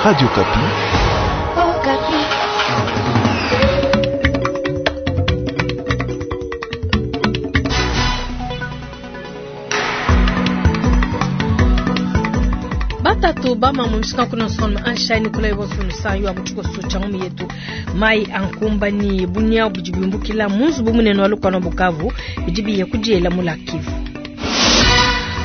Radio Okapi. Okapi. Batatu bama mumishika kuna sona anshani kula ibosu sayo abuchiko socha ngumi yetu mai ankumba ni bunya bujibimbukila munzu bumunene walukano Bukavu bijibiye kujiela mulakivu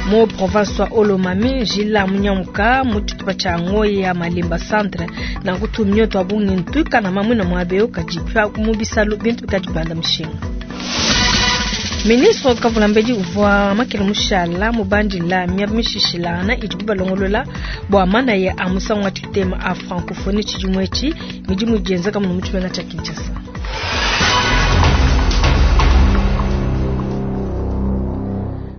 mu province wa Olomami njila munyamuka mu tshitupa tshia Ngoyi ya Malemba centre na kutumye twa bungi ntuika na mamwina mwabeo kajipya mu bisalu bintu bikajibanda mushinga. Ministre Kavula Mbedi uvua makele mushala mubandila miaba mishishilana idi balongolola bua mana ya amusangu wa tshitema a francophonie tshidimu etshi midimu idienzeka muno mu tshimenga tshia Kinshasa.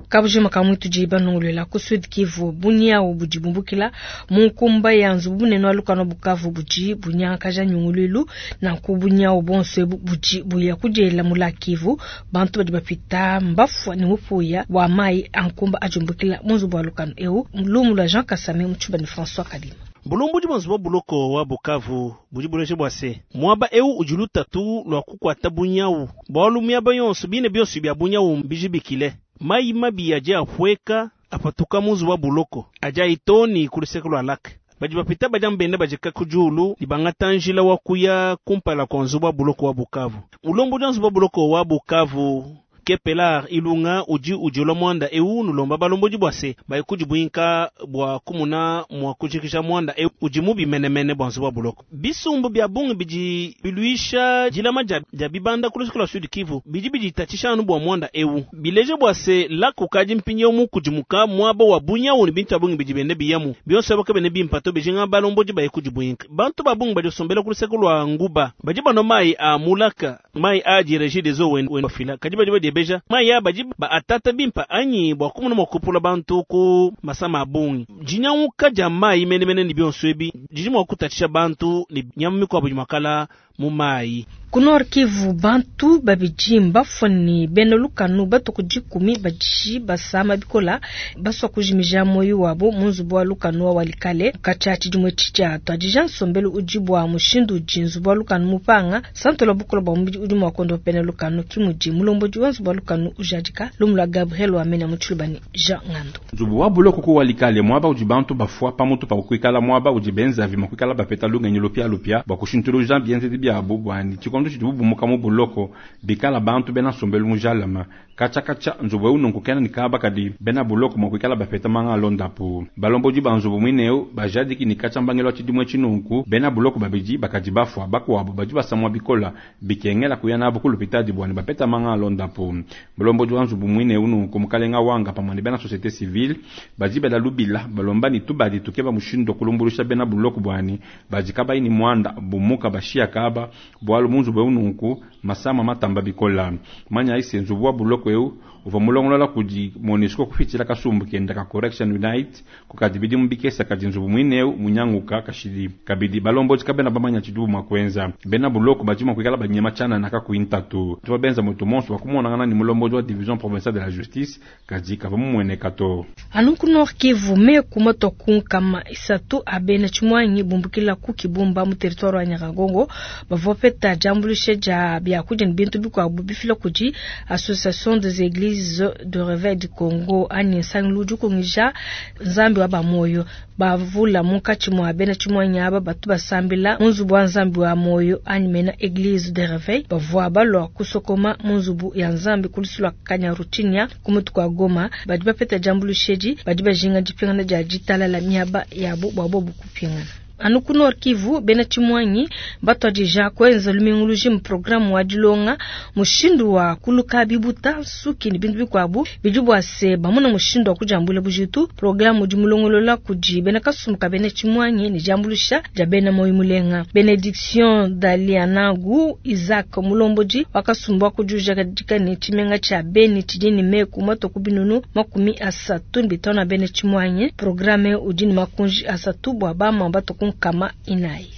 Kabujima ka mwitu di banongolola ku Sud Kivu bunyawu budi bumbukila mu nkumba ya nzubu bunene wa lukano Bukavu budi bunyangakaja nyunguluilu nanku bunyawu bonso ebu budi buya kudiela mu lac Kivu bantu badi bapita mbafua ne mupuya wa mayi a nkumba ajumbukila mu nzubu wa lukano eu lumu lua Jean Kasame mu tshiba ne François Kadima. Bulombodi bua nzubu wa buloko wa Bukavu budi buleja bua se muaba eu udi lutatu lua kukuata bunyawu bualu miaba yonso bine bionso bia bunyawu mbijibikile mayi mabi adi apueka apatuka mu nzubu wa buloko adi ayitoni ku luseke lua lac badi bapita badi ambenda bajika ku diulu ne bangata njila wa kuya kumpala kua nzubu wa buloko wa Bukavu. Mulombodi wa nzubu wa buloko wa Bukavu Kepelar Ilunga udi udiula muanda eu nulomba balombodi bua se baye kudibuinka bua kumuna mua kujikija muanda eu udi mubi menemene bua nzubu wa buloko. Bisumbu bia bungi bidi biluisha dilama dia bibanda ku luseke lua Sud Kivu bidi biditatshisha anu bua muanda eu bileje bua se lac ukadi mpindieu mukudimuka muaba wa bunyawu ne bintu bia bungi bidi bende biyamu bionso abo kabene bimpa to bijinga balombodi baye kudibuinka. Bantu ba bungi badi basombela ku luseke lua Nguba badi banua mayi a mulaka mayi a di Regie des Eaux wende wafila kadi badi badiebeja mayi a badi ba atata bimpa anyi bua kumuna mua kupula bantu ku masama a bungi. Dinyanguka dia mayi menemene ne bionso ebi didi mua kutatshisha bantu ne nyama mikuabu idi mua kala mu mayi. Ku Nord Kivu bantu babidi mbafua ne bena lukanu batuku dikumi badi basama bikola basua kujimija moyo wabo mu nzubu wa lukanu wa Walikale katshia tshidimu etshi tshia tuadija nsombelu udi bua mushindu udi nzubu wa lukanu mupanga santo la bukola bua mubidi udi mua kondopa bena lukanu kimudi mulombodi wa nzubu wa lukanu ujadika lumu lua Gabriel Wamena mu Tshilubani Jean Ngando. Nzubu wa buloko ku Walikale muaba udi bantu bafua pamutu pa kuikala muaba udi benzavi mua kuikala bapeta lungenyi lupialupia bua kushintuluja bienzedi biabu bua ni tshikondo tshidibu bumuka mu buloko bikala bantu bena nsombelu mujalama katshia katshia nzubu eu nunku kena ne kaba kadi bena buloko mua kuikala bapeta manga alondapu. Balombodi ba nzubu muine eu bajadiki ne katshia mbangelu wa tshidimu etshi nunku bena buloko babidi bakadi bafua bakuabu badi basamua bikola bikengela kuya nabu ku lupitadi bua ne bapeta manga alondapu. Mulombodi wa nzubu muine eu nunku mukalenga wanga pamue ne bena société civile badi bela lubila balomba ne tubadi tukeba mushindu wa kulumbulusha bena buloko buani badi kabayi ne muanda bumuka bashia kaba bualu mu nzubu eu nunku masama matamba bikola. Manya ise nzubu wa buloko eu uvua mulongolola kudi MONUSCO kupitshila kasumbu kenda ka Correction Unite kukadi bidimu bikesa kadi nzubu muine eu munyanguka kashidi. Kabidi balombodi kabena bamanya tshidibu mua kuenza bena buloko badi mua kuikala banyema tshianana kakuyi ntatu. Tuvua benza mutu monso wa kumonangana ne mulombodi wa division provinciale de la justice kadi kavua mumueneka to. Anu ku Nord Kivu meku matua ku nkama isatu a bena tshimuangi bumbukila ku Kibumba mu territoire wa Nyiragongo bavua bapeta diambuluisha dia biakudia ne bintu bikuabu bifila kudi Association des Églises de Réveil du Congo anyi nsangilu udi ukungija Nzambi wa ba moyo. Bavula munkatshi mua bena tshimuangi aba batu basambila mu nzubu wa Nzambi wa moyo anyi mena Église de Réveil bavua balua kusokoma mu nzubu ya Nzambi ku lusu lua Kanyaruchinya ku mutu kua Goma. Badi bapeta diambuluisha edi badi bajinga dipingana dia ditalala miaba yabu bua bobu kupingana. Anu ku Nord Kivu bena tshimuangi batuadija kuenza lumingu lujima programu wa dilonga mushindu wa kuluka bibuta nsuki ne bintu bikuabu bidi bua se bamuna mushindu wa kudiambula bujitu. Programu udi mulongolola kudi bena kasumbu ka bena tshimuangi ne diambuluisha dia bena moyo mulenga. Benediction Dalianagu Isaac mulombodi wa kasumbu wa kudiujadika ne tshimenga tshia Beni tshidi ne meku matua ku binunu 35 bena tshimuangi. Programu udi ne makunji asatu bua bama batua ku nkama inayi.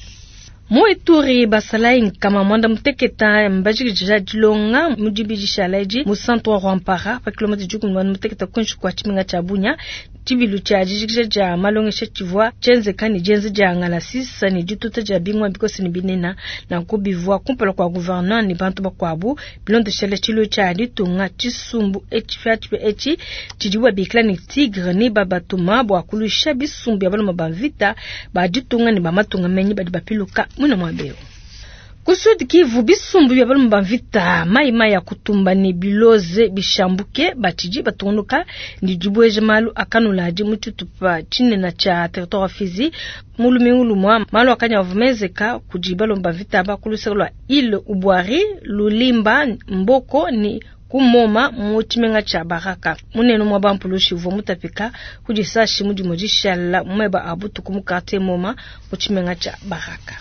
Mu Ituri, basalayi nkama muanda muteketa mbajikija dilonga mu dibidi dishala edi mu centre wa Rwampara pa kilomita 16 kuinshi kua tshimenga tshia Bunia. Tshibilu tshia dijikija dia malongesha tshivua tshienzeka ne dienza dia ngalasisa ne dituta dia bingoma bikose ne binena, nanku bivua kumpala kua gouverneur ne bantu bakuabu. Bilondeshele tshilu tshia ditunga, tshisumbu etshi etshi tshidibu babikila ne Tigre ne babatuma bua kuluisha bisumbu bia balume ba mvita ba ditunga ne ba matunga menyi badi bapiluka muine muaba eu. Ku Sud Kivu, bisumbu bia balume ba mvita mai mai ya kutumba ne biloze bishambuke batshidi batungunuka ne dibueja malu akanuladi mu tshitupa tshinene tshia territoire wa Fizi. Mu lumingu lumua malu akanya avua menzeka kudi balume ba mvita ba ku luseke lua Ile Ubwari, Lulimba, Mboko ne kumoma mu tshimenga tshia Baraka. Munene mwa bampulushi uvua mutapika ku disashi mu dimue dishala mu meba a butuku mu quartier Moma mu tshimenga tshia Baraka.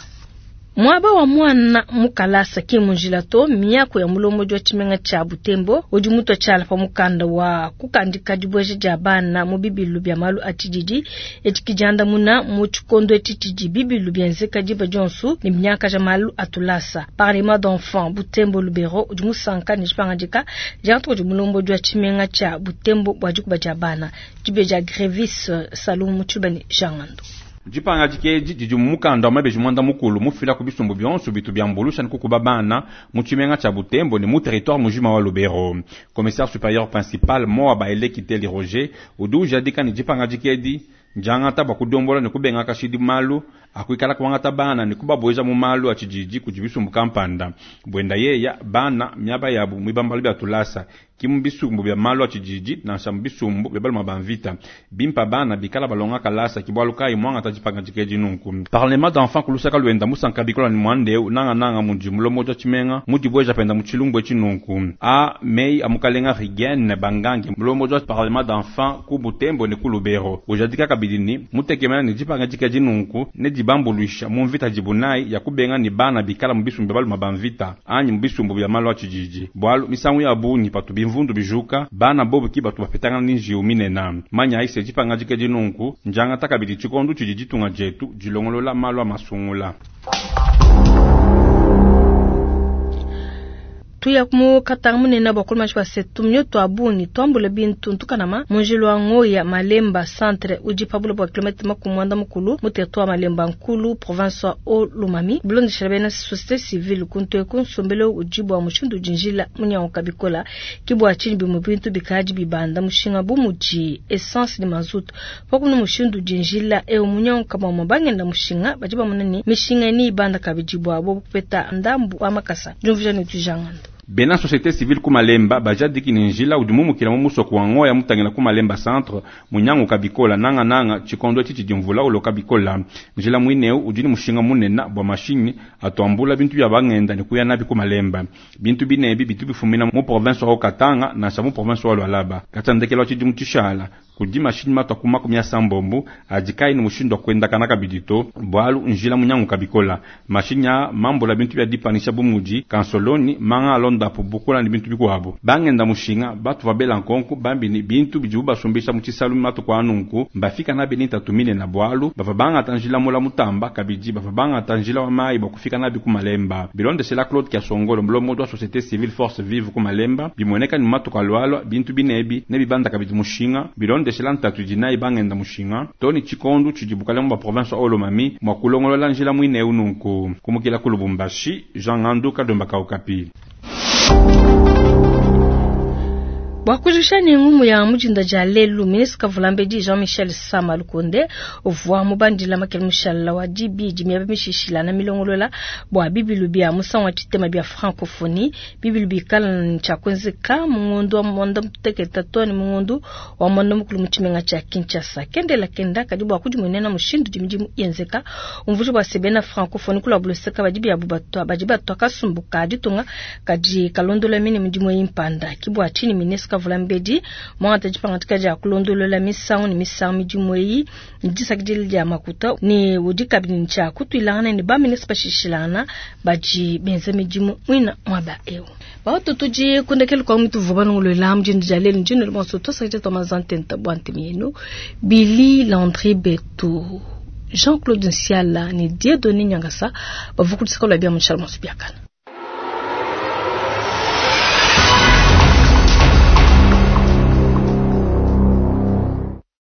Muaba wa mwana mu kalasa ki mu njila to, miaku ya mulombodi wa tshimenga tshia Butembo udi mutua tshiala pa mukanda wa kukandika dibueja dia bana mu bibilu bia malu a tshididi. Etshi kidiandamuna mu tshikondo etshi tshidi bibilu bienzeka diba dionso ne binyakaja malu a tulasa. Parlement d'enfants Butembo Lubero udi musanka ne dipangadika diangata kudi mulombodi wa tshimenga tshia Butembo bua dikuba dia bana. Dibe dia Grevis Salum mu tshiluba ne Jean Ngando. Dipangadika edi didi mu mukanda wa mabeji muanda mukulu mufila ku bisumbu bionso bitu biambulusha ne kukuba bana mu tshimenga tshia Butembo ne mu territoire mujima wa Lubero. Commissaire supérieur principal Moa Baele Kiteli Roger udi ujadika ne dipangadika edi ndiangata bua kudombola ne kubenga kashidi malu akuikala kuangata bana ne kubabueja mu malu a tshididi kudi bisumbu kampanda. Buenda yeya bana miaba yabu mu bibambalu bia tulasa ki mu bisumbu bia malu a tshididi nansha mu bisumbu bia baluma ba mvita. Bimpa bana bikala balonga kalasa ki bualu kayi muangata dipangadika edi nunku. Parlement d'enfants ku lusaka luenda musanka bikola ne muanda eu nangananga mudi mulombodi wa tshimenga mudibueja penda mu tshilumbu etshi nunku. A mei a mukalenga Rigene Bangange mulombodi wa parlement d'enfants ku Butembo ne ku Lubero ujadika kabidi ne mutekemena ne dipangadika edi nunku ne dibambuluisha mu mvita dibunayi ya kubenga ne bana bikala mu bisumbu bia baluma ba mvita anyi mu bisumbu bia malu a tshididi. Bualu misangu ya bungi patu bimvundu bijuka bana bobu ki batu bapetangana ne njiwu minene. Manya ayi se dipangadika edi nunku ndiangata kabidi tshikondo tshidi ditunga dietu dilongolola malu a masungula. Tuya mu Katanga munene bua kuluma tshia setu mioto a bungi tuambule bintu ntukanama mu njila wa Ngoya Malemba centre udi pa buloba bua kilomètre makumi muanda mukulu mu territoire Malemba Nkulu province wa Haut-Lomami. Bilondeshela bena société civile kuntu eku nsombelu udi bua mushindu udi njila munyanguka bikola ki bua tshinyi bimue bintu bikadi bibanda mushinga bu mudi essence ne mazutu. Pakumuna mushindu udi njila eu munyanguka bamue bangenda mushinga badi bamona ne mishinga ni ibanda kabidi bua bo kupeta ndambu wa makasa. Diumvuija ne tujangando. Bena société civile ku Malemba bajadiki ne njila udi mumukila mu musoko wa Ngoya mutangila ku Malemba centre munyanguka bikola nanga nanga tshikondo etshi tshidi mvula uloka bikola. Njila muineu udi ne mushinga munene bua mashinyi atuambula bintu bia bangenda ne kuya nabi ku Malemba. Bintu binebi bitu bifumina mu province wa Katanga nansha mu province wa Lualaba. Katandekelo tshidi mu tshishala kudi mashinyi matwa ku makumi ya sambombo adi kayi ne mushindu wa kuendakana kabidi to bualu njila munyanguka bikola. Mashinyi a mambula bintu bia dipanisha bu mudi kansoloni manga alondapo bukola ne bintu bikuabu. Bangenda mushinga batu babela nkonko bambi ne bintu bidibu basumbisha mu tshisalu matuku a nunku mbafika nabi ne ntatu minene bualu bava bangata njila mula mutamba kabidi bava bangata njila wa mayi bua kufika nabi ku Malemba. Bilondeshela Claude Kiasongolo mulombodi wa société civile force vive ku Malemba bimueneka ne matuku alualua bintu binebi ne bibanda kabidi mushinga bilondeshela ntatu idi nayi bangenda mushinga toni tshikondo tshidi bukalenge bua province wa Haut-Lomami mua kulongolola njila muine eu nunku. Kumukila ku Lubumbashi, Jean Ngandu Kadomba Kaukapi. Bua kujikija ne ngumu ya mujinda dia lelu, ministre Kavulambedi Jean-Michel Sama Lukonde uvua mubandila makele mushala wa dibidi miaba mishishilana milongolola bua bibilu bia musangu wa tshitema bia francophonie. Bibilu bikala ne tshia kuenzeka mu ngondo wa muanda mutekete too ne mu ngondo wa muanda mukulu mu tshimenga tshia Kinshasa. Kendela kenda kadi bua kudimuenena mushindu udi midimu yenzeka. Umvuija bua se bena francophonie kula buluseka badi biabu batwa badi batwa kasumbu ka ditunga kadi kalondola mine midimu yimpanda. Ki bua tshinyi ministre Kavulambedi mwangata dipangadika dia kulondolola misangu ne misangu midimu eyi ne disakidila dia makuta ne udi kabidi ne tshia kutuilangana ne baministre bashishilangana badi benza midimu muina muaba eu. Batu tudi kundekela kwa mutu vuba nongolola mujindu dia lelu ndino le bonso tosakidila twa mazantenta bua ntemi yenu Billy Landry Betu. Jean-Claude Nsiala ne Dieudonné Nyangasa bavua ku luseke lua bia mu Tshiala Biakana.